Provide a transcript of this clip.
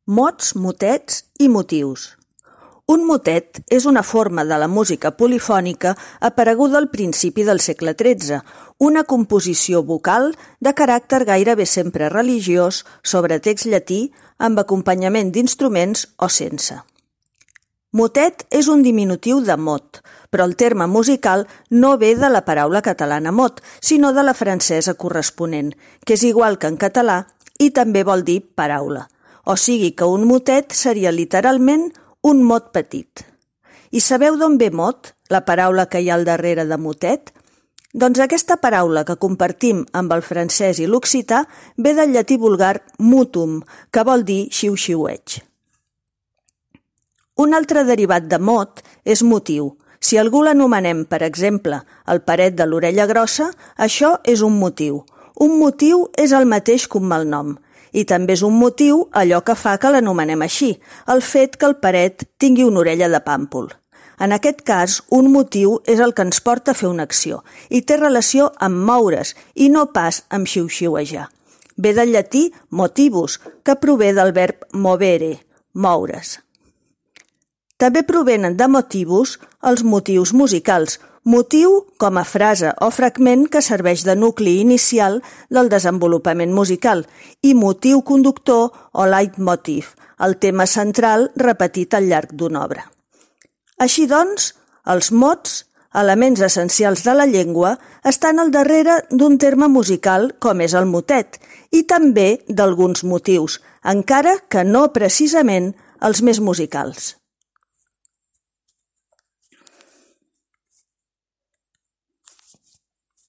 Mots, motets i motius. Un motet és una forma de la música polifònica apareguda al principi del segle XIII, una composició vocal de caràcter gairebé sempre religiós sobre text llatí amb acompanyament d'instruments o sense. Motet és un diminutiu de mot, però el terme musical no ve de la paraula catalana mot, sinó de la francesa corresponent, que és igual que en català i també vol dir paraula. O sigui que un motet seria literalment un mot petit. I sabeu d'on ve mot, la paraula que hi ha al darrere de motet? Doncs aquesta paraula que compartim amb el francès i l'occità ve del llatí vulgar mutum, que vol dir xiu-xiueig. Un altre derivat de mot és motiu. Si algú l'anomenem, per exemple, el paret de l'orella grossa, això és un motiu. Un motiu és el mateix que un malnom. I també és un motiu allò que fa que l'anomenem així, el fet que el paret tingui una orella de pàmpol. En aquest cas, un motiu és el que ens porta a fer una acció i té relació amb moure's i no pas amb xiu-xiuejar. Ve del llatí motivus, que prové del verb movere, moure's. També provenen de motivus els motius musicals, motiu com a frase o fragment que serveix de nucli inicial del desenvolupament musical i motiu conductor o leitmotiv, el tema central repetit al llarg d'una obra. Així doncs, els mots, elements essencials de la llengua, estan al darrere d'un terme musical com és el motet i també d'alguns motius, encara que no precisament els més musicals.